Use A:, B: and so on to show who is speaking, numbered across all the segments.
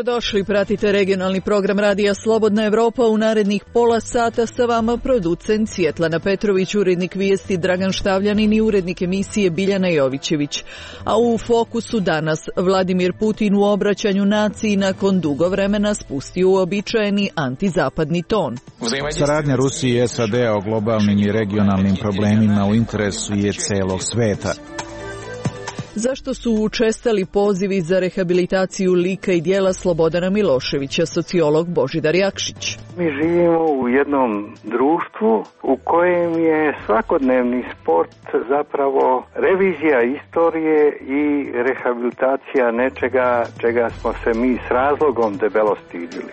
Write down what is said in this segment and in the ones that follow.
A: Dobrodošli, pratite regionalni program Radija Slobodna Evropa. U narednih pola sata sa vama producent Svjetlana Petrović, urednik vijesti Dragan Štavljanin i urednik emisije Biljana Jovićević. A u fokusu danas Vladimir Putin u obraćanju naciji nakon dugo vremena spustio uobičajeni antizapadni ton.
B: Saradnja Rusije i SAD-a o globalnim i regionalnim problemima u interesu je celog sveta.
A: Zašto su učestali pozivi za rehabilitaciju lika i djela Slobodana Miloševića, sociolog Božidar Jakšić?
C: Mi živimo u jednom društvu u kojem je svakodnevni sport zapravo revizija istorije i rehabilitacija nečega čega smo se mi s razlogom debelo stidili.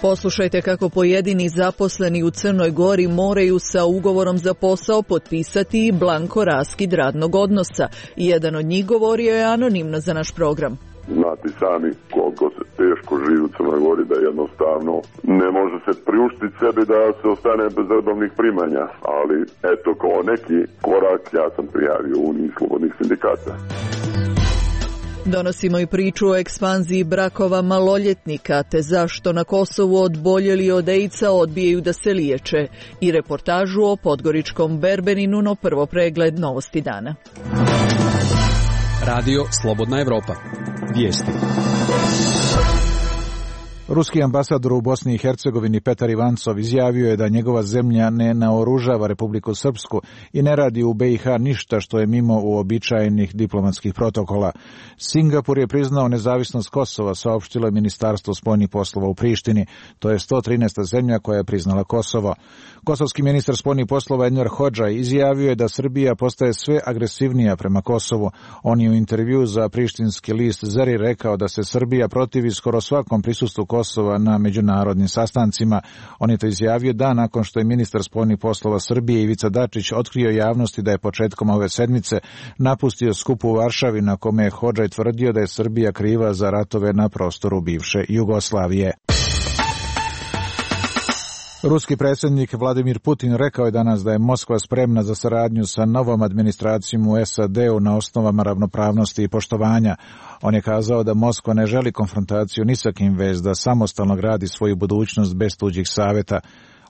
A: Poslušajte kako pojedini zaposleni u Crnoj Gori moraju sa ugovorom za posao potpisati i blanko raskid radnog odnosa. Jedan od njih govorio je anonimno za naš program.
D: Znate sami koliko se teško živi u Crnoj Gori, da jednostavno ne može se priuštiti sebi da se ostane bez redovnih primanja, ali eto kao neki korak ja sam prijavio Uniji slobodnih sindikata.
A: Donosimo i priču o ekspanziji brakova maloljetnika, te zašto na Kosovu odboljeli od AIDS-a odbijaju da se liječe, i reportažu o podgoričkom berbeninu, no prvo pregled novosti dana.
E: Radio Slobodna Evropa. Vijesti.
B: Ruski ambasador u Bosni i Hercegovini Petar Ivancov izjavio je da njegova zemlja ne naoružava Republiku Srpsku i ne radi u BiH ništa što je mimo uobičajenih diplomatskih protokola. Singapur je priznao nezavisnost Kosova, saopštilo je Ministarstvo spoljnih poslova u Prištini. To je 113. zemlja koja je priznala Kosovo. Kosovski ministar spoljnih poslova Enver Hodžaj izjavio je da Srbija postaje sve agresivnija prema Kosovu. On je u intervju za prištinski list Zeri rekao da se Srbija protivi skoro svakom prisustvu Kosova na međunarodnim sastancima. On je to izjavio dan nakon što je ministar spoljnih poslova Srbije Ivica Dačić otkrio javnosti da je početkom ove sedmice napustio skup u Varšavi na kome je Hodžaj tvrdio da je Srbija kriva za ratove na prostoru bivše Jugoslavije. Ruski predsjednik Vladimir Putin rekao je danas da je Moskva spremna za saradnju sa novom administracijom u SAD-u na osnovama ravnopravnosti i poštovanja. On je kazao da Moskva ne želi konfrontaciju ni sa kim, već da samostalno gradi svoju budućnost bez tuđih savjeta.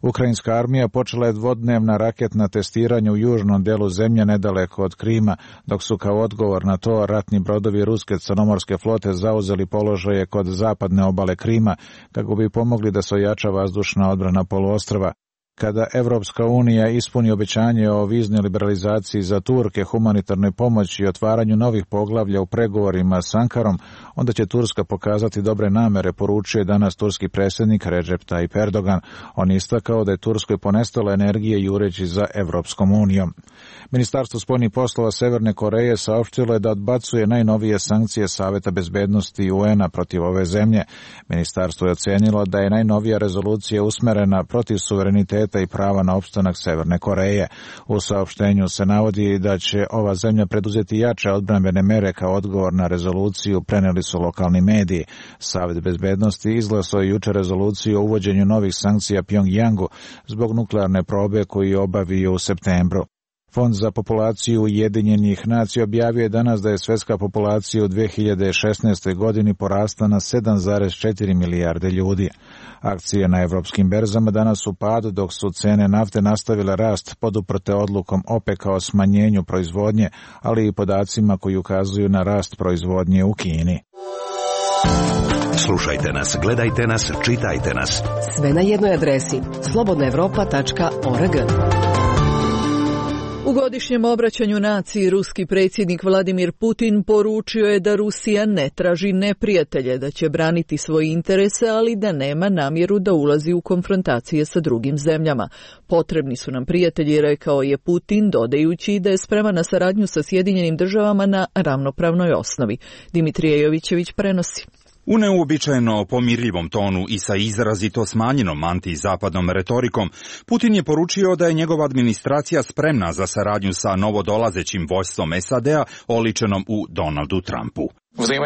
B: Ukrajinska armija počela je dvodnevna raketna testiranja u južnom delu zemlje nedaleko od Krima, dok su kao odgovor na to ratni brodovi ruske crnomorske flote zauzeli položaje kod zapadne obale Krima, kako bi pomogli da se ojača vazdušna odbrana poluostrva. Kada Evropska unija ispuni obećanje o viznoj liberalizaciji za Turke, humanitarnoj pomoći i otvaranju novih poglavlja u pregovorima s Ankarom, onda će Turska pokazati dobre namere, poručio je danas turski predsjednik Recep Tayyip Erdogan. On je istakao da je Turskoj ponestalo energije jureći za Evropskom unijom. Ministarstvo spoljnih poslova Severne Koreje saopštilo je da odbacuje najnovije sankcije Saveta bezbednosti UN-a protiv ove zemlje. Ministarstvo je ocenilo da je najnovija rezolucija usmerena protiv suvereniteta i prava na opstanak Severne Koreje. U saopštenju se navodi da će ova zemlja preduzeti jače odbrambene mere kao odgovor na rezoluciju, preneli su lokalni mediji. Savet bezbednosti izglasao je jučer rezoluciju o uvođenju novih sankcija Pjongjangu zbog nuklearne probe koju je obavio u septembru. Fond za populaciju Ujedinjenih nacija objavio je danas da je svjetska populacija u 2016. godini porasla na 7,4 milijarde ljudi. Akcije na evropskim berzama danas u padu, dok su cene nafte nastavile rast poduprte odlukom OPEC-a o smanjenju proizvodnje, ali i podacima koji ukazuju na rast proizvodnje u Kini.
F: Slušajte nas, gledajte nas, čitajte nas.
G: Sve na jednoj adresi slobodnaevropa.org.
A: U godišnjem obraćanju naciji ruski predsjednik Vladimir Putin poručio je da Rusija ne traži neprijatelje, da će braniti svoje interese, ali da nema namjeru da ulazi u konfrontacije sa drugim zemljama. Potrebni su nam prijatelji, rekao je Putin, dodajući da je spreman na saradnju sa Sjedinjenim državama na ravnopravnoj osnovi. Dimitrije Jovićević prenosi.
H: U neuobičajeno pomirljivom tonu i sa izrazito smanjenom antizapadnom retorikom, Putin je poručio da je njegova administracija spremna za saradnju sa novodolazećim vođstvom SAD-a oličenom u Donaldu Trumpu.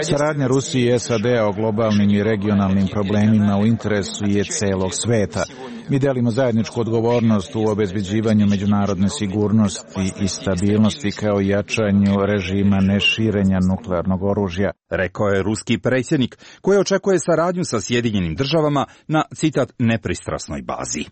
B: Saradnja Rusije i SAD-a o globalnim i regionalnim problemima u interesu je celog sveta. Mi delimo zajedničku odgovornost u obezbeđivanju međunarodne sigurnosti i stabilnosti kao i jačanju režima neširenja nuklearnog oružja.
H: rekao je ruski predsjednik, koji očekuje saradnju sa Sjedinjenim državama na, citat, nepristrasnoj bazi.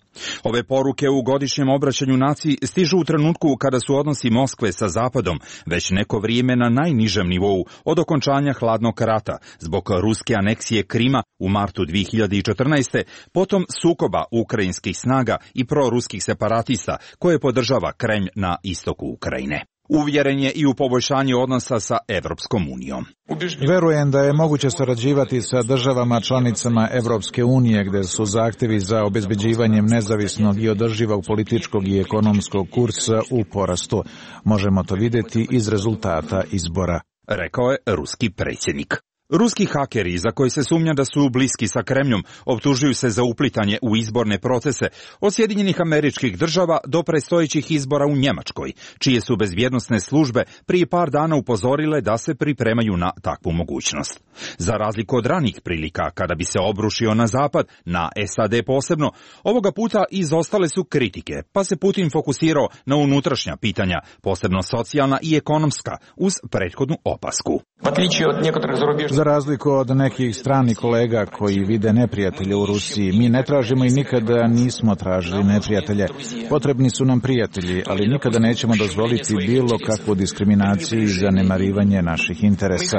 H: Ove poruke u godišnjem obraćanju naciji stižu u trenutku kada su odnosi Moskve sa Zapadom već neko vrijeme na najnižem nivou od okončanja hladnog rata zbog ruske aneksije Krima u martu 2014. potom sukoba ukrajinskih snaga i proruskih separatista koje podržava Kremlj na istoku Ukrajine. Uvjeren je i u poboljšanje odnosa sa Evropskom unijom.
B: Verujem da je moguće sarađivati sa državama članicama Evropske unije gdje su zahtjevi za obezbeđivanjem nezavisnog i održivog političkog i ekonomskog kursa u porastu. Možemo to vidjeti iz rezultata izbora,
H: rekao je ruski predsjednik. Ruski hakeri, za koji se sumnja da su bliski sa Kremljom, optužuju se za uplitanje u izborne procese od Sjedinjenih Američkih Država do predstojećih izbora u Njemačkoj, čije su bezbjednosne službe prije par dana upozorile da se pripremaju na takvu mogućnost. Za razliku od ranijih prilika, kada bi se obrušio na Zapad, na SAD posebno, ovoga puta izostale su kritike, pa se Putin fokusirao na unutrašnja pitanja, posebno socijalna i ekonomska, uz prethodnu opasku.
B: Za razliku od nekih stranih kolega koji vide neprijatelje u Rusiji, mi ne tražimo i nikada nismo tražili neprijatelje. Potrebni su nam prijatelji, ali nikada nećemo dozvoliti bilo kakvu diskriminaciju i zanemarivanje naših interesa,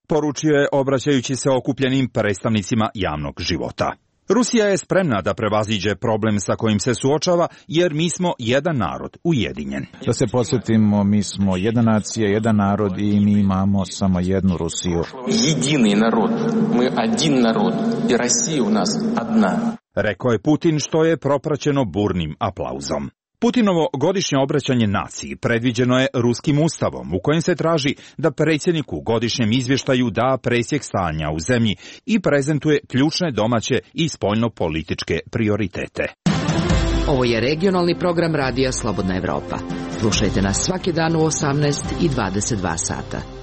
H: poručio je obraćajući se okupljenim predstavnicima javnog života. Rusija je spremna da prevaziđe problem sa kojim se suočava, jer mi smo jedan narod, ujedinjen.
B: Da se podsjetimo, mi smo jedna nacija, jedan narod i mi imamo samo jednu Rusiju.
I: Jedini narod, mi один narod i Rusija u nas jedna.
H: Rekao je Putin, što je propraćeno burnim aplauzom. Putinovo godišnje obraćanje naciji predviđeno je ruskim ustavom, u kojem se traži da predsjednik u godišnjem izvještaju da presjek stanja u zemlji i prezentuje ključne domaće i spoljno-političke prioritete.
G: Ovo je regionalni program radija Slobodna Evropa. Slušajte nas svaki dan u 18 i 22 sata.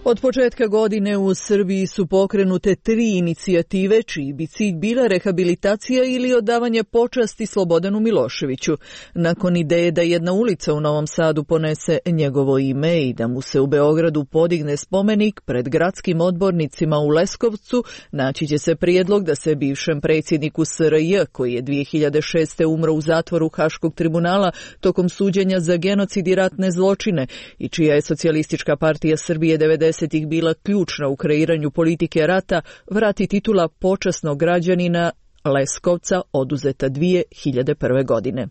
A: Od početka godine u Srbiji su pokrenute 3 inicijative čiji bi cilj bila rehabilitacija ili odavanje počasti Slobodanu Miloševiću. Nakon ideje da jedna ulica u Novom Sadu ponese njegovo ime i da mu se u Beogradu podigne spomenik pred gradskim odbornicima u Leskovcu, naći će se prijedlog da se bivšem predsjedniku SRJ, koji je 2006. umro u zatvoru Haškog tribunala tokom suđenja za genocid i ratne zločine i čija je Socijalistička partija Srbije 90-ih bila ključna u kreiranju politike rata, vrati titula počasnog građanina Leskovca oduzeta 2001. godine.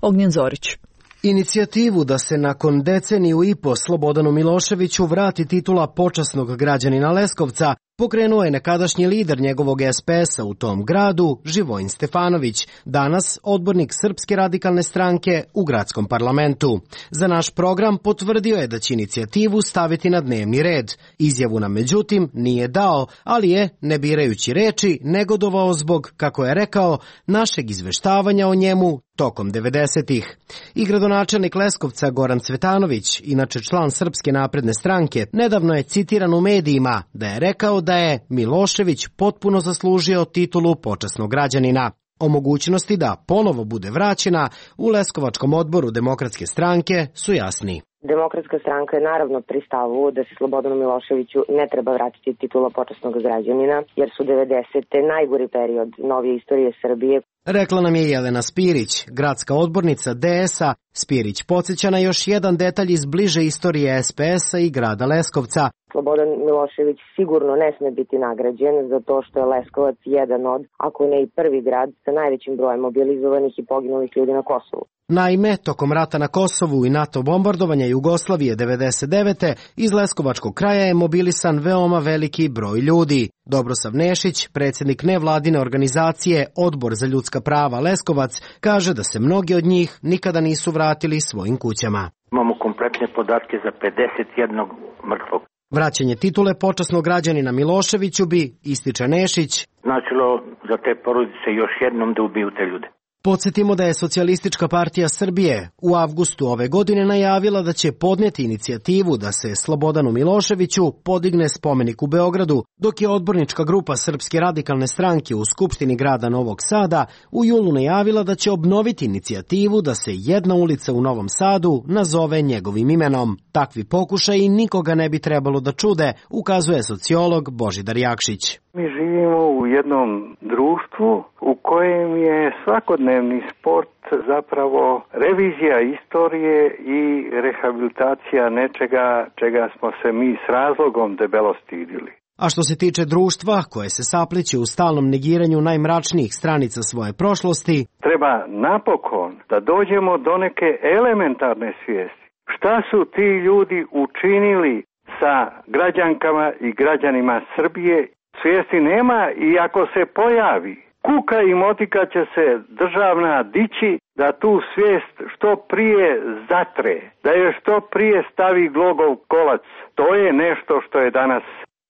A: Ognjen Zorić.
J: Inicijativu da se nakon deceniju i po Slobodanu Miloševiću vrati titula počasnog građanina Leskovca pokrenuo je nekadašnji lider njegovog SPS-a u tom gradu, Živojin Stefanović, danas odbornik Srpske radikalne stranke u gradskom parlamentu. Za naš program potvrdio je da će inicijativu staviti na dnevni red. Izjavu nam međutim nije dao, ali je, ne birajući reči, negodovao zbog, kako je rekao, našeg izveštavanja o njemu tokom 90-ih. I gradonačelnik Leskovca Goran Cvetanović, inače član Srpske napredne stranke, nedavno je citiran u medijima da je rekao da je Milošević potpuno zaslužio titulu počasnog građanina. O mogućnosti da ponovo bude vraćena u Leskovačkom odboru Demokratske stranke su jasni.
K: Demokratska stranka je naravno pri stavu da se Slobodanu Miloševiću ne treba vratiti titula počasnog građanina, jer su 90. najgori period novije istorije Srbije.
J: Rekla nam je Jelena Spirić, gradska odbornica DS-a. Spirić podsjeća na još jedan detalj iz bliže istorije SPS-a i grada Leskovca.
K: Slobodan Milošević sigurno ne sme biti nagrađen zato što je Leskovac jedan od, ako ne i prvi grad, sa najvećim brojem mobilizovanih i poginulih ljudi na Kosovu.
J: Naime, tokom rata na Kosovu i NATO bombardovanja Jugoslavije 99. iz Leskovačkog kraja je mobilisan veoma veliki broj ljudi. Dobrosav Nešić, predsjednik nevladine organizacije Odbor za ljudska prava Leskovac, kaže da se mnogi od njih nikada nisu vratili svojim kućama.
L: Imamo kompletne podatke za 51 mrtvog.
J: Vraćanje titule počasnog građanina Miloševiću bi, ističe Nešić,
L: značilo za te porodice još jednom da ubiju te ljude.
J: Podsjetimo da je Socijalistička partija Srbije u avgustu ove godine najavila da će podnijeti inicijativu da se Slobodanu Miloševiću podigne spomenik u Beogradu, dok je odbornička grupa Srpske radikalne stranke u Skupštini grada Novog Sada u julu najavila da će obnoviti inicijativu da se jedna ulica u Novom Sadu nazove njegovim imenom. Takvi pokušaji nikoga ne bi trebalo da čude, ukazuje sociolog Božidar Jakšić.
C: Mi živimo u jednom društvu u kojem je svakodnevni sport zapravo revizija istorije i rehabilitacija nečega čega smo se mi s razlogom debelo stidili.
J: A što se tiče društva koje se sapliće u stalnom negiranju najmračnijih stranica svoje prošlosti,
C: treba napokon da dođemo do neke elementarne svijesti. Šta su ti ljudi učinili sa građankama i građanima Srbije? Svijesti nema i ako se pojavi, kuka i motika će se državna dići da tu svijest što prije zatre, da je što prije stavi glogov kolac. To je nešto što je danas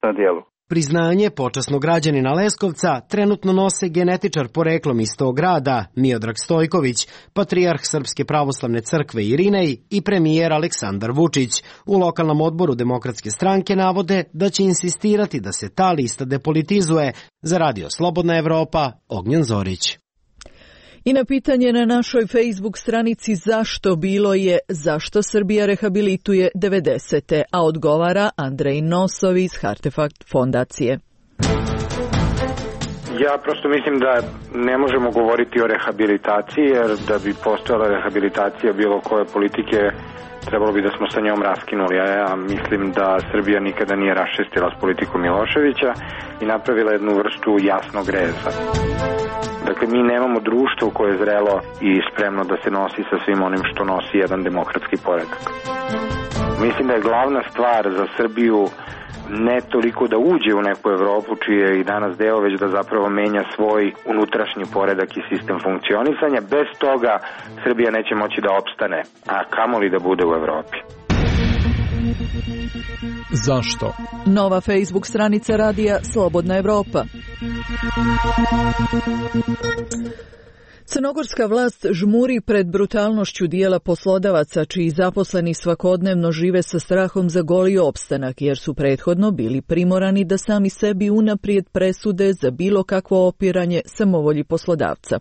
C: na djelu.
J: Priznanje počasnog građanina Leskovca trenutno nose genetičar poreklom iz tog grada Miodrag Stojković, patrijarh Srpske pravoslavne crkve Irinej i premijer Aleksandar Vučić. U lokalnom odboru Demokratske stranke navode da će insistirati da se ta lista depolitizuje. Za Radio Slobodna Evropa, Ognjen Zorić.
A: I na pitanje na našoj Facebook stranici zašto bilo je zašto Srbija rehabilituje 90. a odgovara Andrej Nosov iz Hartefakt fondacije.
M: Ja prosto mislim da ne možemo govoriti o rehabilitaciji, jer da bi postojala rehabilitacija bilo koje politike, trebalo bi da smo sa njom raskinuli. Ja mislim da Srbija nikada nije raščistila s politikom Miloševića i napravila jednu vrstu jasnog reza. Dakle, mi nemamo društvo koje je zrelo i spremno da se nosi sa svim onim što nosi jedan demokratski poredak. Mislim da je glavna stvar za Srbiju ne toliko da uđe u neku Evropu čiji je i danas deo, već da zapravo menja svoj unutrašnji poredak i sistem funkcionisanja. Bez toga Srbija neće moći da opstane, a kamoli da bude u Evropi.
A: Zašto? Nova Facebook stranica radija Slobodna Evropa. Crnogorska vlast žmuri pred brutalnošću dijela poslodavaca čiji zaposleni svakodnevno žive sa strahom za goli opstanak jer su prethodno bili primorani da sami sebi unaprijed presude za bilo kakvo opiranje samovolji poslodavca.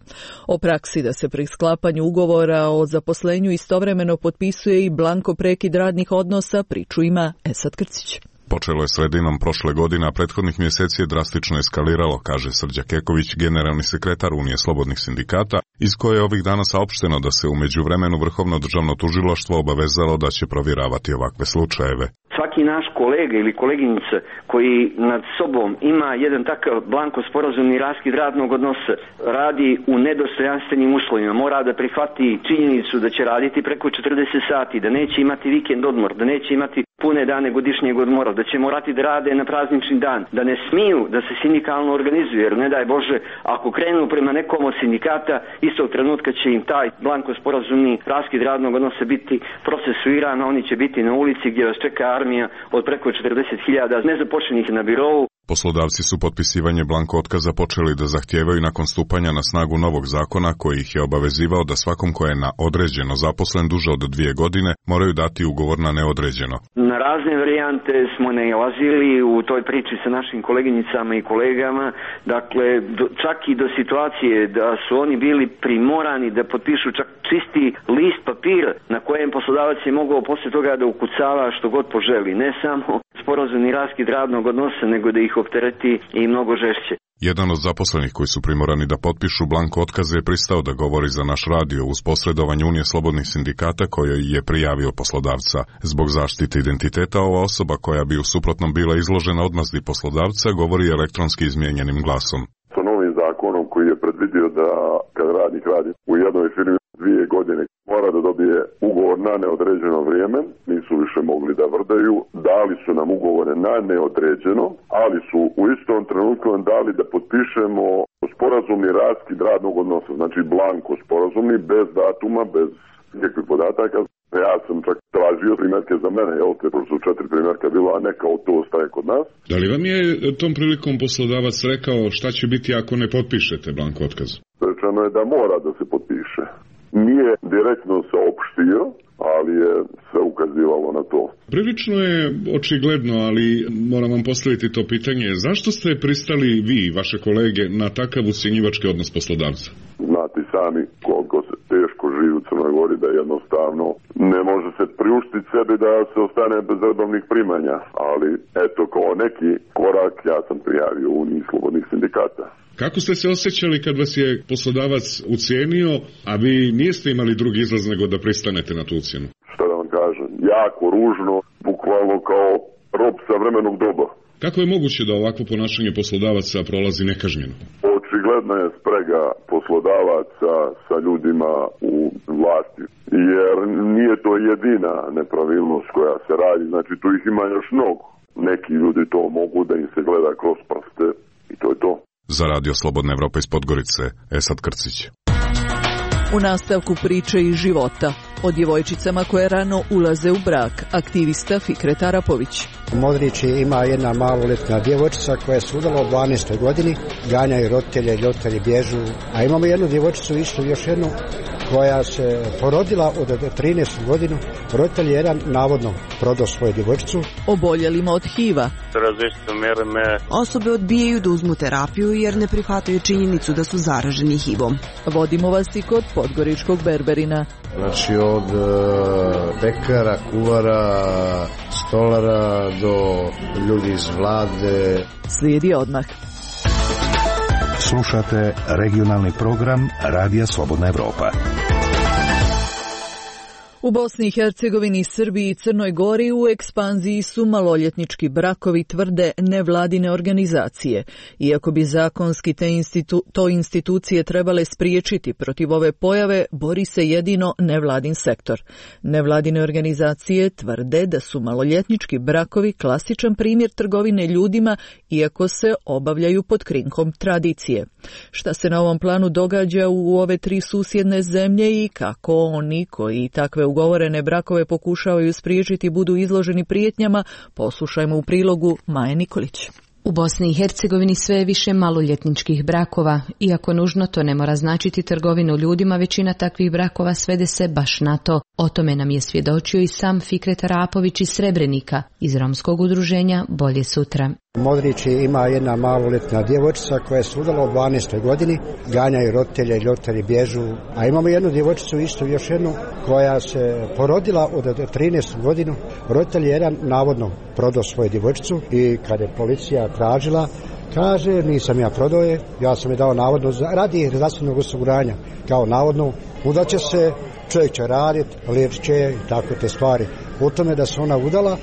A: O praksi da se pri sklapanju ugovora o zaposlenju istovremeno potpisuje i blanko prekid radnih odnosa priču ima Esad Krcić.
N: Počelo je sredinom prošle godine, a prethodnih mjeseci je drastično eskaliralo, kaže Srđa Keković, generalni sekretar Unije slobodnih sindikata, iz koje je ovih dana saopšteno da se u međuvremenu Vrhovno državno tužilaštvo obavezalo da će provjeravati ovakve slučajeve.
O: Svaki naš kolega ili koleginica koji nad sobom ima jedan takav blanko sporazumni raskid radnog odnosa, radi u nedostojanstvenim uslovima, mora da prihvati činjenicu da će raditi preko 40 sati, da neće imati vikend odmor, da neće imati pune dane godišnjeg odmora, da će morati da rade na praznični dan, da ne smiju da se sindikalno organizuju, jer ne daj Bože, ako krenu prema nekom od sindikata, istog trenutka će im taj blanko sporazumni raskid radnog odnosa biti procesuiran, a oni će biti na ulici gdje vas čeka armija od preko 40.000 nezaposlenih na birovu.
N: Poslodavci su potpisivanje blanko otkaza počeli da zahtijevaju nakon stupanja na snagu novog zakona koji ih je obavezivao da svakom ko je na određeno zaposlen duže od 2 godine moraju dati ugovor na neodređeno.
O: Na razne varijante smo nailazili u toj priči sa našim koleginicama i kolegama, dakle čak i do situacije da su oni bili primorani da potpišu čak čisti list papira na kojem poslodavac je mogao poslije toga da ukucava što god poželi, ne samo sporazumni raskid radnog odnosa, nego da ih optereti i mnogo žešće.
N: Jedan od zaposlenih koji su primorani da potpišu blanko otkaze je pristao da govori za naš radio uz posredovanje Unije slobodnih sindikata kojoj je prijavio poslodavca. Zbog zaštite identiteta ova osoba koja bi u suprotnom bila izložena odmazdi poslodavca govori elektronski izmijenjenim glasom.
D: Sa novim zakonom koji je predvidio da kad radnik radi u jednoj firmi 2 godine mora da dobije ugovor na neodređeno vrijeme, nisu više mogli da vrdaju, dali su nam ugovore na neodređeno, ali su u istom trenutku nam dali da potpišemo sporazumni raskid radnog odnosa, znači blanko sporazumni, bez datuma, bez nikakvih podataka. Ja sam čak tražio primjerke za mene, te su 4 primjerka bilo, a ne kao to ostaje kod nas.
P: Da li vam je tom prilikom poslodavac rekao šta će biti ako ne potpišete blanko otkaz?
D: Rečeno napisano je da mora da se potpiše. Nije direktno saopštio, ali je se ukazivalo na to.
N: Prilično je očigledno, ali moram vam postaviti to pitanje. Zašto ste pristali vi i vaše kolege na takav ucjenjivački odnos poslodavca?
D: Znate sami koliko se teško živi u Crnoj Gori, da jednostavno ne može se priuštiti sebi da se ostane bez redovnih primanja. Ali eto, kao neki korak ja sam prijavio Uniji slobodnih sindikata.
N: Kako ste se osjećali kad vas je poslodavac ucijenio, a vi niste imali drugi izlaz nego da pristanete na tu ucjenu?
D: Šta da vam kažem, jako ružno, bukvalno kao rob savremenog doba.
N: Kako je moguće da ovakvo ponašanje poslodavaca prolazi nekažnjeno?
D: Očigledna je sprega poslodavaca sa ljudima u vlasti, jer nije to jedina nepravilnost koja se radi, znači tu ih ima još mnogo. Neki ljudi to mogu da im se gleda kroz prste i to je to.
N: Za Radio Slobodna Evropa iz Podgorice, Esad Krcić.
A: U nastavku priče iz života o djevojčicama koje rano ulaze u brak, aktivista Fikret Arapović.
P: U Modrići ima jedna maloletna djevojčica koja je se udala u 12. godini, ganjaju roditelje, roditelji bježu, a imamo jednu djevojčicu isto, još jednu, koja se porodila od 13. godinu. Roditelj jedan navodno prodao svoju djevojčicu.
A: Oboljelima od HIV-a.
Q: Osobe odbijaju da uzmu terapiju jer ne prihvataju činjenicu da su zaraženi HIV-om.
A: Vodimo vas i kod podgoričkog berberina.
R: Znači od pekara, kuvara, stolara do ljudi iz vlade.
A: Slijedi odmah.
F: Slušate regionalni program Radija Slobodna Evropa.
A: U Bosni i Hercegovini, Srbiji i Crnoj Gori u ekspanziji su maloljetnički brakovi, tvrde nevladine organizacije. Iako bi zakonski to institucije trebale spriječiti protiv ove pojave, bori se jedino nevladin sektor. Nevladine organizacije tvrde da su maloljetnički brakovi klasičan primjer trgovine ljudima, iako se obavljaju pod krinkom tradicije. Šta se na ovom planu događa u ove tri susjedne zemlje i kako oni koji takve ugovorene brakove pokušavaju spriječiti budu izloženi prijetnjama, poslušajmo u prilogu Maje Nikolić.
S: U Bosni i Hercegovini sve je više maloljetničkih brakova. Iako nužno to ne mora značiti trgovinu ljudima, većina takvih brakova svede se baš na to. O tome nam je svjedočio i sam Fikret Arapović iz Srebrenika, iz romskog udruženja Bolje sutra.
P: U Modrići ima jedna maloletna djevojčica koja je se udala u 12. godini, ganjaju roditelje, roditelji bježu, a imamo jednu djevojčicu isto, još jednu, koja se porodila od 13. godinu. Roditelj jedan navodno prodao svoju djevojčicu i kad je policija tražila, kaže nisam ja prodao je, ja sam je dao navodno radi zdravstvenog osiguranja, kao navodno udaće se, čovjek će raditi, liječit će i tako te stvari. U tome da se ona udala,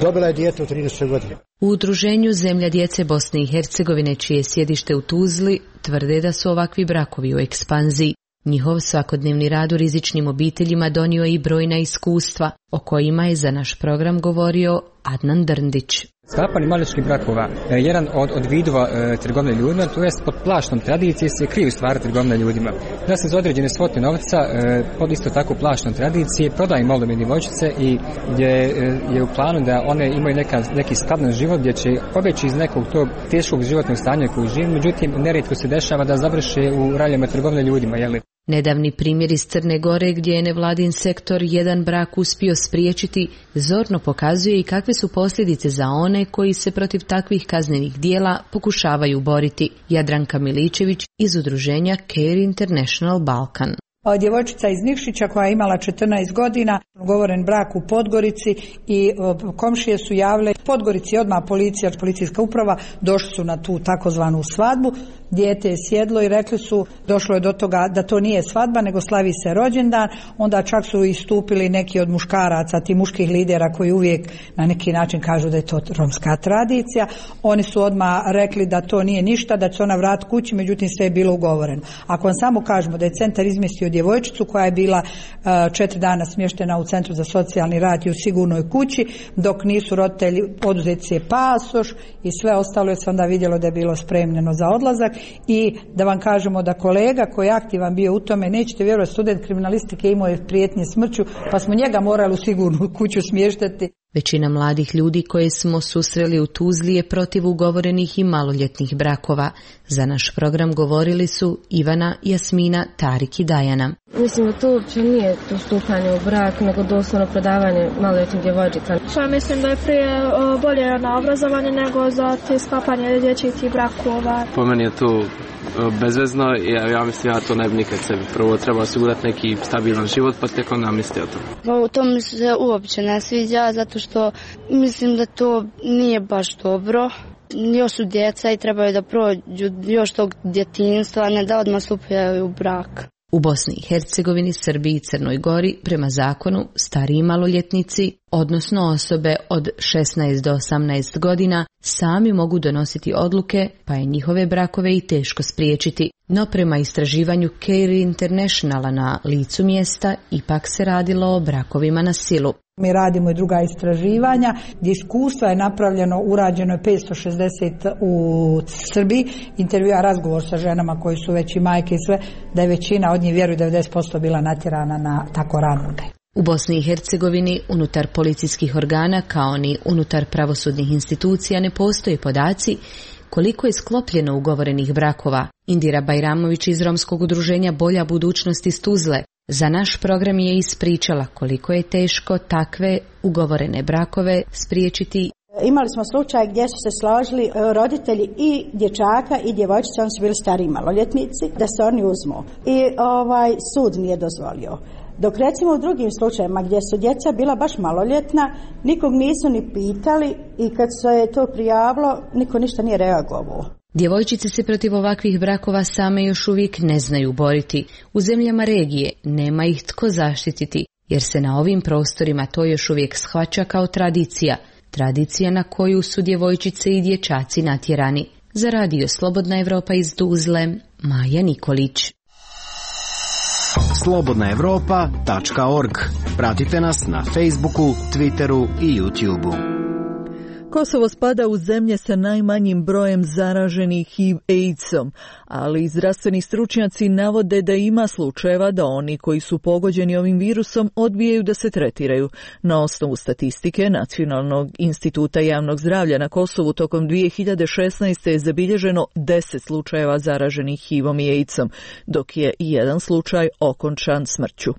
P: dobila je dijete u 13. godini.
S: U udruženju Zemlja djece Bosne i Hercegovine, čije sjedište u Tuzli, tvrde da su ovakvi brakovi u ekspanziji. Njihov svakodnevni rad u rizičnim obiteljima donio je i brojna iskustva, o kojima je za naš program govorio Adnan Drndić.
T: Sklapanje maloljetničkih brakova je jedan od vidova trgovine ljudima, to jest pod plaštom tradicije se kriju stvari trgovine ljudima. Da se za određene svote novca pod isto tako plaštom tradicije prodaju maloljetne djevojčice i gdje je u planu da one imaju neki stabilan život gdje će pobjeći iz nekog tog teškog životnog stanja koji žive, međutim nerijetko se dešava da završe u raljama trgovine ljudima, jeli?
S: Nedavni primjer iz Crne Gore, gdje je nevladin sektor jedan brak uspio spriječiti, zorno pokazuje i kakve su posljedice za one koji se protiv takvih kaznenih dijela pokušavaju boriti. Jadranka Miličević iz udruženja Care International Balkan.
U: Djevojčica iz Nikšića koja je imala 14 godina, ugovoren brak u Podgorici i komšije su javile Podgorici odmah policijska uprava, došli su na tu takozvanu svadbu, dijete je sjedlo i rekli su, došlo je do toga da to nije svadba nego slavi se rođendan, onda čak su istupili neki od muškaraca, ti muških lidera koji uvijek na neki način kažu da je to romska tradicija, oni su odmah rekli da to nije ništa, da će ona vratiti kući, međutim sve je bilo ugovoreno. Ako vam samo kažemo da je centar izmjestio djevojčicu koja je bila 4 dana smještena u centru za socijalni rad i u sigurnoj kući, dok nisu roditelji oduzeti je pasoš i sve ostalo je se onda vidjelo da je bilo spremljeno za odlazak. I da vam kažemo da kolega koji je aktivan bio u tome, nećete vjerovati, student kriminalistike imao je prijetnje smrću, pa smo njega morali u sigurnu kuću smještati.
S: Većina mladih ljudi koje smo susreli u Tuzli je protiv ugovorenih i maloljetnih brakova. Za naš program govorili su Ivana, Jasmina, Tarik i Dajana.
E: Mislim da to uopće nije to stupanje u brak, nego doslovno prodavanje maloljetnih djevojčica.
V: Mislim da je prije bolje na obrazovanje nego za te sklapanje dječjih brakova.
W: Po meni je to bezvezno i ja mislim ja to ne bi nikad sebi. Prvo treba osigurati neki stabilan život, pa tek onda misli o tom.
X: To mi se uopće ne sviđa, zato što mislim da to nije baš dobro. Još su djeca i trebaju da prođu još tog djetinjstva, a ne da odmah stupaju u brak.
S: U Bosni i Hercegovini, Srbiji i Crnoj Gori prema zakonu stariji maloljetnici, odnosno osobe od 16 do 18 godina, sami mogu donositi odluke, pa je njihove brakove i teško spriječiti. No prema istraživanju Care Internationala na licu mjesta, ipak se radilo o brakovima na silu.
U: Mi radimo i druga istraživanja gdje iskustva je napravljeno, urađeno je 560 u Srbiji, intervjua, razgovor sa ženama koji su već i majke i sve, da je većina od njih, vjeruju 90% bila natjerana na tako rano.
S: U Bosni i Hercegovini unutar policijskih organa kao ni unutar pravosudnih institucija ne postoje podaci koliko je sklopljeno ugovorenih brakova. Indira Bajramović iz romskog udruženja Bolja budućnost iz Tuzle za naš program je ispričala koliko je teško takve ugovorene brakove spriječiti.
Y: Imali smo slučaj gdje su se složili roditelji i dječaka i djevojčice, oni su bili stariji maloljetnici, da se oni uzmu. I sud nije dozvolio. Dok recimo u drugim slučajevima gdje su djeca bila baš maloljetna, nikog nisu ni pitali i kad se je to prijavilo, niko ništa nije reagovao.
S: Djevojčice se protiv ovakvih brakova same još uvijek ne znaju boriti. U zemljama regije nema ih tko zaštititi, jer se na ovim prostorima to još uvijek shvaća kao tradicija. Tradicija na koju su djevojčice i dječaci natjerani. Za radio Slobodna Evropa iz Tuzle, Maja Nikolić.
J: slobodnaevropa.org. Pratite nas na Facebooku, Twitteru i YouTubeu.
A: Kosovo spada u zemlje sa najmanjim brojem zaraženih HIV-AIDS-om, ali zdravstveni stručnjaci navode da ima slučajeva da oni koji su pogođeni ovim virusom odbijaju da se tretiraju. Na osnovu statistike Nacionalnog instituta javnog zdravlja na Kosovu tokom 2016. je zabilježeno 10 slučajeva zaraženih HIV-om i AIDS-om, dok je i jedan slučaj okončan smrću.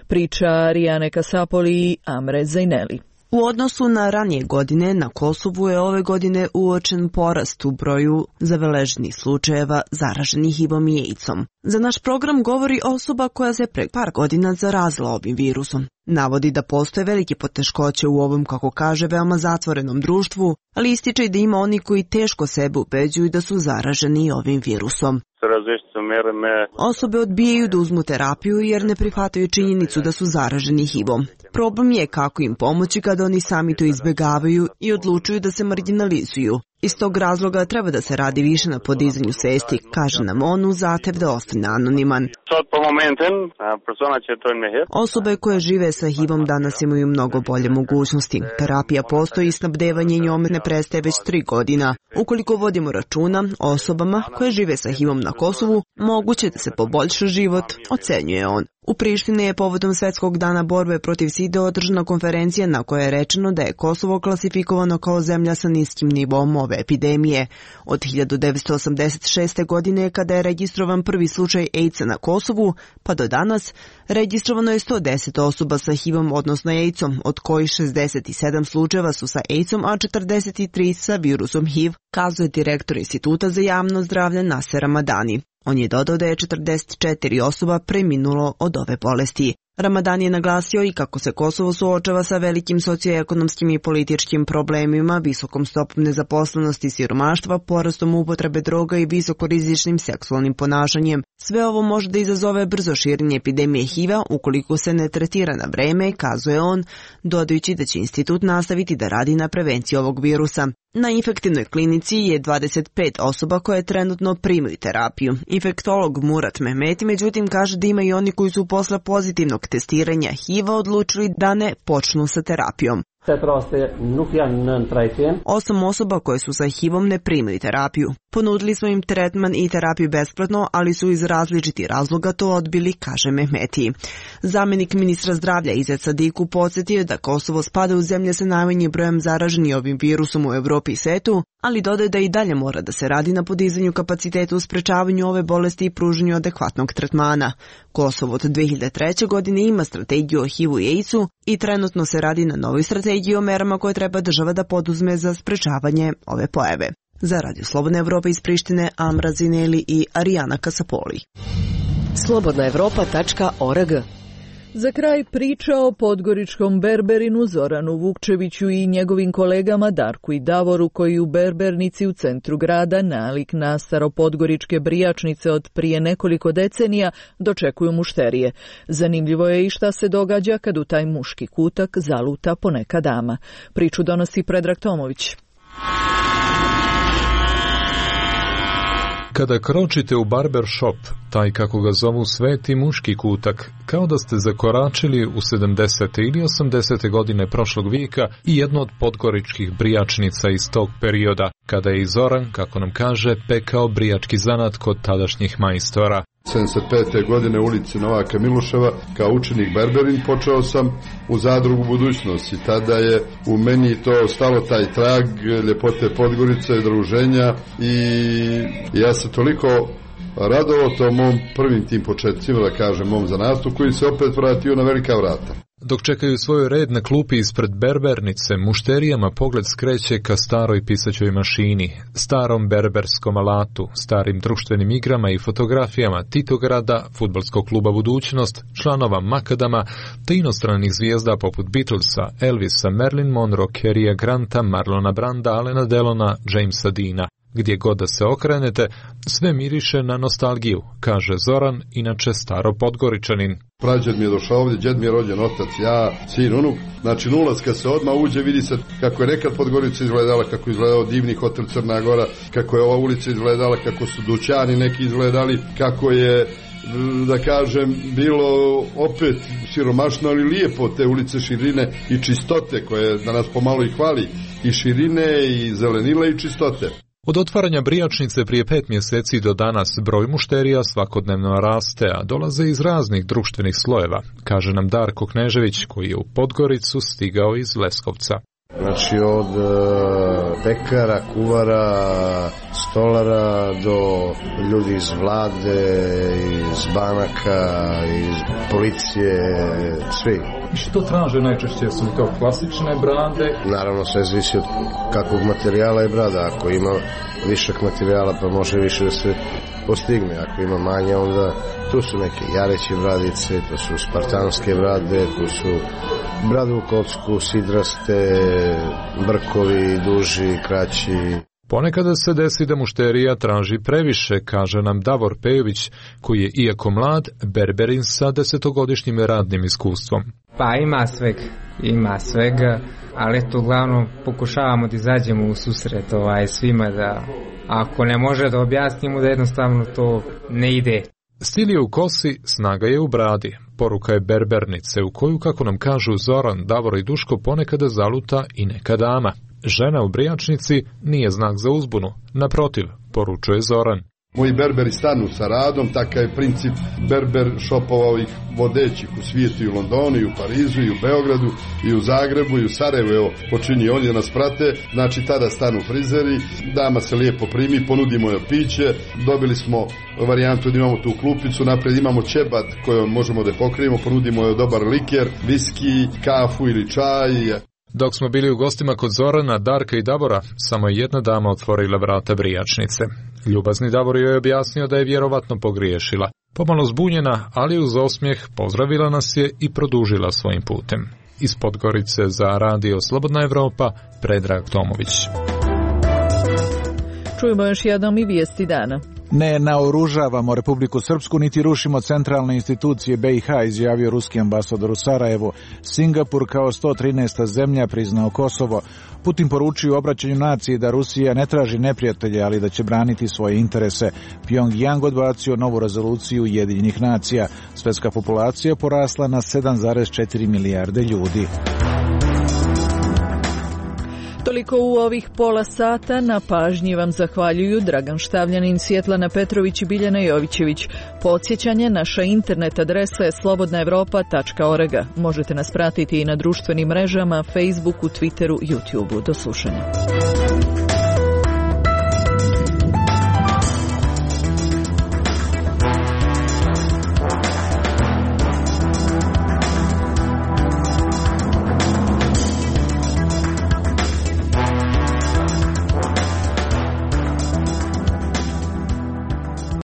A: Priča Rijane Kasapoli i Amre Zajneli.
Q: U odnosu na ranije godine, na Kosovu je ove godine uočen porast u broju zabeleženih slučajeva zaraženih HIV-om i AIDS-om. Za naš program govori osoba koja se pre par godina zarazila ovim virusom. Navodi da postoje velike poteškoće u ovom, kako kaže, veoma zatvorenom društvu, ali ističe i da ima oni koji teško sebe ubeđuju da su zaraženi ovim virusom. Osobe odbijaju da uzmu terapiju jer ne prihvataju činjenicu da su zaraženi HIV-om. Problem je kako im pomoći kada oni sami to izbjegavaju i odlučuju da se marginalizuju. Iz tog razloga treba da se radi više na podizanju svesti, kaže nam on uz zahtev da ostane anoniman. Osobe koje žive sa HIV-om danas imaju mnogo bolje mogućnosti. Terapija postoji i snabdevanje njome ne prestaje već 3 godina. Ukoliko vodimo računa o osobama koje žive sa HIV-om na Kosovu, moguće da se poboljša život, ocenjuje on. U Prištini je povodom Svetskog dana borbe protiv side održana konferencija na kojoj je rečeno da je Kosovo klasifikovano kao zemlja sa niskim nivom ove epidemije. Od 1986. godine, kada je registrovan prvi slučaj AIDS-a na Kosovu, pa do danas, registrovano je 110 osoba sa HIV-om, odnosno AIDS-om, od kojih 67 slučajeva su sa AIDS-om, a 43 sa virusom HIV, kazuje direktor Instituta za javno zdravlje Naser Ramadani. On je dodao da je 44 osoba preminulo od ove bolesti. Ramadan je naglasio i kako se Kosovo suočava sa velikim socioekonomskim i političkim problemima, visokom stopom nezaposlenosti i siromaštva, porastom upotrebe droga i visokorizičnim seksualnim ponašanjem. Sve ovo može da izazove brzo širenje epidemije HIV-a ukoliko se ne tretira na vreme, kazuje on, dodajući da će institut nastaviti da radi na prevenciji ovog virusa. Na infektivnoj klinici je 25 osoba koje trenutno primaju terapiju. Infektolog Murat Mehmeti međutim kaže da ima i oni koji su posle pozitivnog testiranja HIV-a odlučili da ne počnu sa terapijom. 8 osoba koje su sa HIV-om ne primaju terapiju. Ponudili smo im tretman i terapiju besplatno, ali su iz različitih razloga to odbili, kaže Mehmeti. Zamjenik ministra zdravlja Izet Sadiku podsjetio da Kosovo spada u zemlje sa najmanjim brojem zaraženih ovim virusom u Evropi i svetu, ali dodaje da i dalje mora da se radi na podizanju kapaciteta u sprečavanju ove bolesti i pružanju adekvatnog tretmana. Kosovo od 2003. godine ima strategiju o HIV-u i AIDS-u i trenutno se radi na novoj strategiji o merama koje treba država da poduzme za sprečavanje ove pojave. Za Radio Slobodna Evropa iz Prištine, Amra Zineli i Arijana Kasapoli.
B: slobodnaevropa.org.
A: Za kraj priča o podgoričkom berberinu Zoranu Vukčeviću i njegovim kolegama Darku i Davoru koji u berbernici u centru grada nalik na staropodgoričke brijačnice od prije nekoliko decenija dočekuju mušterije. Zanimljivo je i šta se događa kad u taj muški kutak zaluta poneka dama. Priču donosi Predrag Tomović.
G: Kada kročite u barber shop, taj kako ga zovu sveti muški kutak, kao da ste zakoračili u 70. ili 80. godine prošlog vijeka i jedno od podgoričkih brijačnica iz tog perioda, kada je i Zoran, kako nam kaže, pekao brijački zanat kod tadašnjih majstora.
H: 75. godine u ulici Novaka Miloševa kao učenik berberin počeo sam u zadrugu Budućnost i tada je u meni to stalo taj trag ljepote Podgorice i druženja i ja se toliko radovao to mom prvim tim početcima, da kažem, mom zanatu koji se opet vratio na velika vrata.
G: Dok čekaju svoj red na klupi ispred berbernice, mušterijama pogled skreće ka staroj pisaćoj mašini, starom berberskom alatu, starim društvenim igrama i fotografijama Titograda, fudbalskog kluba Budućnost, članova Makadama, te inostranih zvijezda poput Beatlesa, Elvisa, Marilyn Monroe, Carrya Granta, Marlona Branda, Alena Delona, Jamesa Deana. Gdje god da se okrenete, sve miriše na nostalgiju, kaže Zoran, inače staro Podgoričanin.
H: Prađed mi je došao ovdje, djed mi je rođen, otac, ja, sin, unuk. Znači nulac kad se odmah uđe, vidi se kako je nekad Podgorica izgledala, kako je izgledao divni hotel Crna Gora, kako je ova ulica izgledala, kako su dućani neki izgledali, kako je, da kažem, bilo opet siromašno, ali lijepo te ulice širine i čistote koje danas pomalo i hvali, i širine i zelenila i čistote.
G: Od otvaranja brijačnice prije 5 mjeseci do danas broj mušterija svakodnevno raste, a dolaze iz raznih društvenih slojeva, kaže nam Darko Knežević koji je u Podgoricu stigao iz Leskovca.
R: Znači od pekara, kuvara, stolara do ljudi iz vlade, iz banaka, iz policije, svi.
G: Što traže najčešće? Su li to klasične brade?
R: Naravno, sve zavisi od kakvog materijala je brada. Ako ima višak materijala, pa može više da se postigne. Ako ima manje, onda tu su neke jareće bradice, to su spartanske brade, tu su brade u kocku, sidraste, brkovi, duži, kraći.
G: Ponekada se desi da mušterija traži previše, kaže nam Davor Pejović, koji je, iako mlad, berberin sa 10-godišnjim radnim iskustvom.
I: Pa ima svega, ali eto uglavnom pokušavamo da izađemo u susret svima, da ako ne može da objasnimo da jednostavno to ne ide.
G: Stil je u kosi, snaga je u bradi. Poruka je berbernice u koju, kako nam kažu Zoran, Davor i Duško, ponekada zaluta i neka dama. Žena u brijačnici nije znak za uzbunu. Naprotiv, poručuje Zoran.
H: Moji berberi stanu sa radom, takav je princip berber šopova ovih vodećih u svijetu i u Londonu, i u Parizu, i u Beogradu, i u Zagrebu, i u Sarajevu, evo, počinje ovdje nas prate, znači tada stanu frizeri, dama se lijepo primi, ponudimo joj piće, dobili smo varijantu da imamo tu klupicu, naprijed imamo ćebad kojom možemo da pokrijemo, ponudimo joj dobar liker, viski, kafu ili čaj.
G: Dok smo bili u gostima kod Zorana, Darka i Davora, samo je jedna dama otvorila vrata brijačnice. Ljubazni Davor joj je objasnio da je vjerovatno pogriješila. Pomalo zbunjena, ali uz osmijeh pozdravila nas je i produžila svojim putem. Iz Podgorice za Radio Slobodna Evropa, Predrag Tomović.
A: Čujemo još jednom i vijesti dana.
K: Ne naoružavamo Republiku Srpsku niti rušimo centralne institucije BiH, izjavio ruski ambasador u Sarajevu. Singapur kao 113. zemlja priznao Kosovo. Putin poručio u obraćanju naciji da Rusija ne traži neprijatelje, ali da će braniti svoje interese. Pyongyang odbacio novu rezoluciju Ujedinjenih nacija. Svjetska populacija porasla na 7,4 milijarde ljudi.
A: Toliko u ovih pola sata. Na pažnji vam zahvaljuju Dragan Štavljanin, Svjetlana Petrović i Biljana Jovićević. Podsjećanje, naša internet adresa je slobodnaevropa.org. Možete nas pratiti i na društvenim mrežama, Facebooku, Twitteru, YouTubeu. Do slušanja.